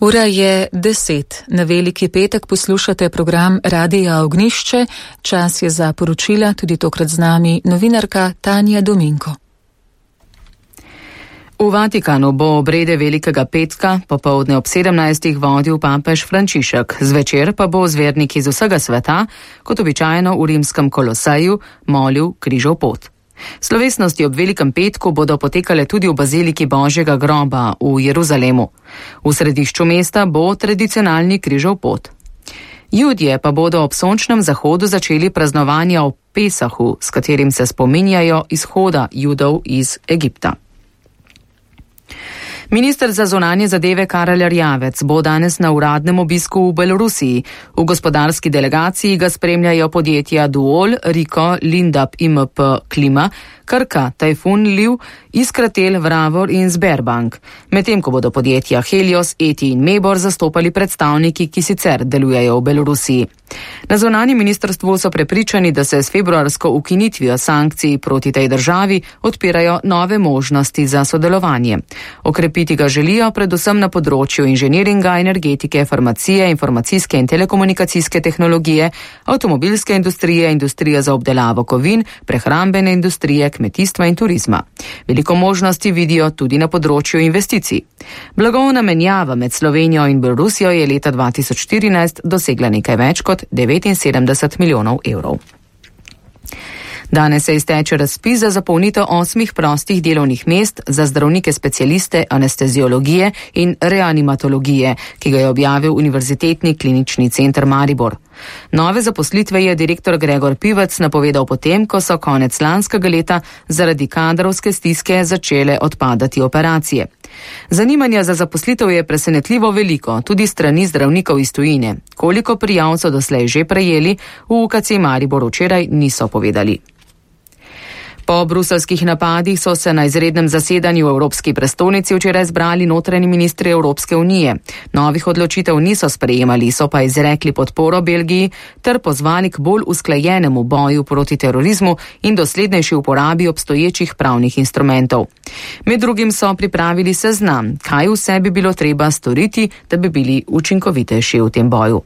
Ura je 10. Na Veliki petek poslušate program Radia Ognjišče. Čas je za poročila, tudi tokrat z nami novinarka Tanja Dominko. V Vatikanu bo obrede Velikega petka popoldne ob 17. vodil papež Frančišek, zvečer pa bo z verniki iz vsega sveta, kot običajno v rimskem Koloseju, molil križov pot. Slovesnosti ob Velikem petku bodo potekale tudi v baziliki Božjega groba v Jeruzalemu. V središču mesta bo tradicionalni križov pot. Judje pa bodo ob sončnem zahodu začeli praznovanja o Pesahu, s katerim se spominjajo izhoda Judov iz Egipta. Minister za zunanje zadeve Karel Erjavec bo danes na uradnem obisku v Belorusiji. V gospodarski delegaciji ga spremljajo podjetja Duol, Riko, Lindab, IMP, Klima, Krka, Tajfun, Liv, Iskratel, Vravor in Sberbank. Medtem ko bodo podjetja Helios, Eti in Mebor zastopali predstavniki, ki sicer delujejo v Belorusiji. Na zunanjem ministrstvu so prepričani, da se s februarsko ukinitvijo sankcij proti tej državi odpirajo nove možnosti za sodelovanje. Okrepiti ga želijo predvsem na področju inženiringa, energetike, farmacije, informacijske in telekomunikacijske tehnologije, avtomobilske industrije, industrije za obdelavo kovin, prehrambene industrije, kmetijstva in turizma. Veliko možnosti vidijo tudi na področju investicij. Blagovna menjava med Slovenijo in Belorusijo je leta 2014 dosegla nekaj več kot 79 milijonov evrov. Danes se izteče razpis za zapolnitev 8 prostih delovnih mest za zdravnike specialiste anesteziologije in reanimatologije, ki ga je objavil Univerzitetni klinični center Maribor. Nove zaposlitve je direktor Gregor Pivec napovedal potem, ko so konec lanskega leta zaradi kadrovske stiske začele odpadati operacije. Zanimanja za zaposlitev je presenetljivo veliko, tudi strani zdravnikov iz tujine. Koliko prijav so doslej že prejeli, v UKC Maribor včeraj niso povedali. Po bruseljskih napadih so se na izrednem zasedanju v Evropski prestolnici včeraj zbrali notranji ministri Evropske unije. Novih odločitev niso sprejemali, so pa izrekli podporo Belgiji ter pozvali k bolj usklajenemu boju proti terorizmu in doslednejši uporabi obstoječih pravnih instrumentov. Med drugim so pripravili seznam, kaj vse bi bilo treba storiti, da bi bili učinkovitejši v tem boju.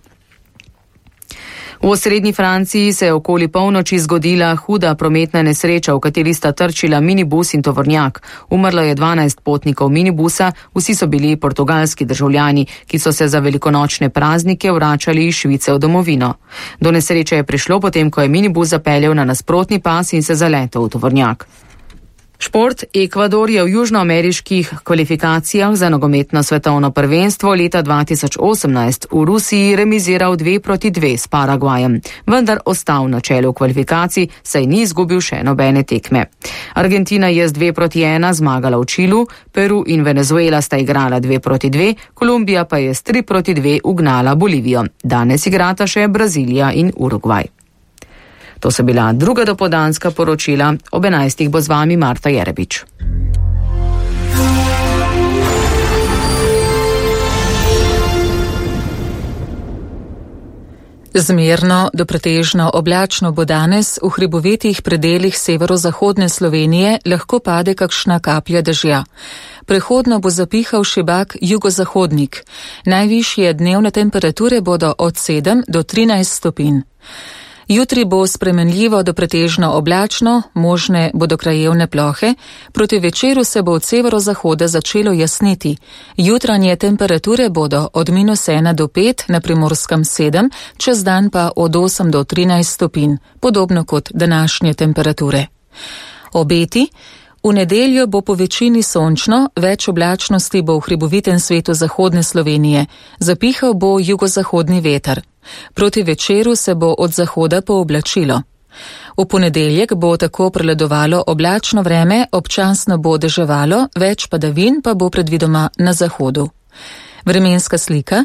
V osrednji Franciji se je okoli polnoči zgodila huda prometna nesreča, v kateri sta trčila minibus in tovornjak. Umrlo je 12 potnikov minibusa, vsi so bili portugalski državljani, ki so se za velikonočne praznike vračali iz Švice v domovino. Do nesreče je prišlo potem, ko je minibus zapeljal na nasprotni pas in se zaletel v tovornjak. Šport. Ekvador je v južnoameriških kvalifikacijah za nogometno svetovno prvenstvo leta 2018 v Rusiji remiziral 2-2 s Paragvajem, vendar ostal na čelu kvalifikacij, saj ni izgubil še nobene tekme. Argentina je z 2-1 zmagala v Čilu, Peru in Venezuela sta igrala 2-2, Kolumbija pa je s 3-2 ugnala Bolivijo. Danes igrata še Brazilija in Urugvaj. To so bila druga dopoldanska poročila. Ob 11. bo z vami Marta Jerebič. Zmerno do pretežno oblačno bo danes, v hribovitih predelih severozahodne Slovenije lahko pade kakšna kaplja dežja. Prehodno bo zapihal šibak jugozahodnik. Najvišje dnevne temperature bodo od 7 do 13 stopinj. Jutri bo spremenljivo do pretežno oblačno, možne bodo krajevne plohe, proti večeru se bo od severozahoda začelo jasniti. Jutranje temperature bodo od -1 do 5, na Primorskem 7, čez dan pa od 8 do 13 stopinj, podobno kot današnje temperature. Obeti. V nedeljo bo po večini sončno, več oblačnosti bo v hribovitem svetu zahodne Slovenije. Zapihal bo jugozahodni veter. Proti večeru se bo od zahoda pooblačilo. V ponedeljek bo tako prevladovalo oblačno vreme, občasno bo deževalo, več padavin pa bo predvidoma na zahodu. Vremenska slika.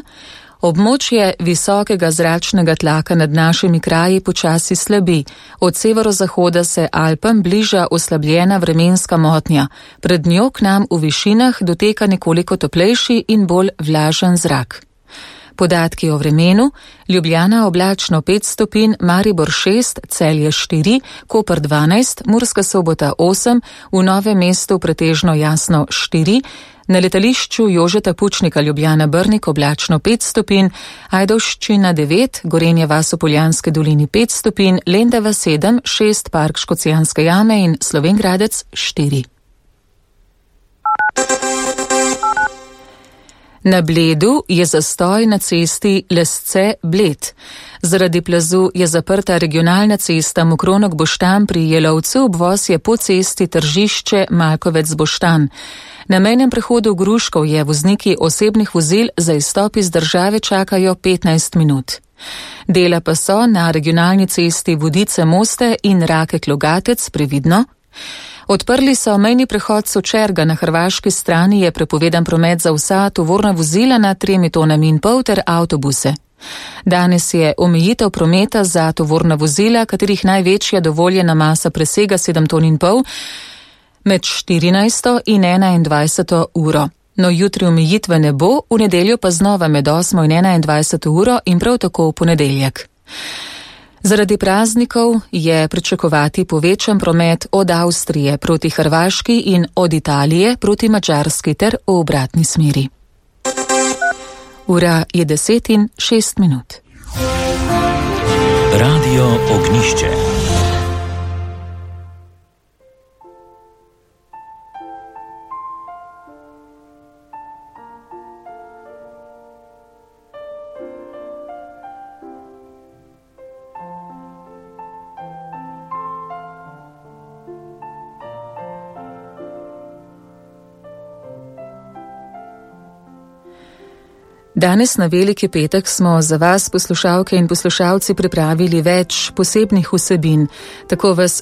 Območje visokega zračnega tlaka nad našimi kraji počasi slabi. Od severozahoda se Alpam bliža oslabljena vremenska motnja. Pred njo k nam v višinah doteka nekoliko toplejši in bolj vlažen zrak. Podatki o vremenu: Ljubljana oblačno 5 stopinj, Maribor 6, Celje 4, Koper 12, Murska Sobota 8, v Novem mestu pretežno jasno 4, na letališču Jožeta Pučnika Ljubljana Brnik oblačno 5 stopinj, Ajdovščina 9, Gorenje vas v Poljanski dolini 5 stopinj, Lendava 7, 6, Park Škocjanske jame in Slovenj Gradec 4. Na Bledu je zastoj na cesti Lesce-Bled. Zaradi plazu je zaprta regionalna cesta Mokronog-Boštanj pri Jelovcu, obvoz je po cesti Tržišče-Malkovec-Boštanj. Na mejnem prehodu Gruškovje vozniki osebnih vozil za izstop iz države čakajo 15 minut. Dela pa so na regionalni cesti Vodice-Moste in Rakek-Logatec previdno. Odprli so mejni prehod Sočerga, na hrvaški strani je prepovedan promet za vsa tovorna vozila nad 3,5 tone ter avtobuse. Danes je omejitev prometa za tovorna vozila, katerih največja dovoljena masa presega 7,5 ton, med 14. in 21. uro. No, jutri omejitve ne bo, v nedeljo pa znova med 8. in 21. uro in prav tako v ponedeljek. Zaradi praznikov je pričakovati povečan promet od Avstrije proti Hrvaški in od Italije proti Madžarski ter v obratni smeri. Ura je 10:06. Radio Ognjišče. Danes na Veliki petek smo za vas, poslušalke in poslušalci, pripravili več posebnih vsebin. Tako vas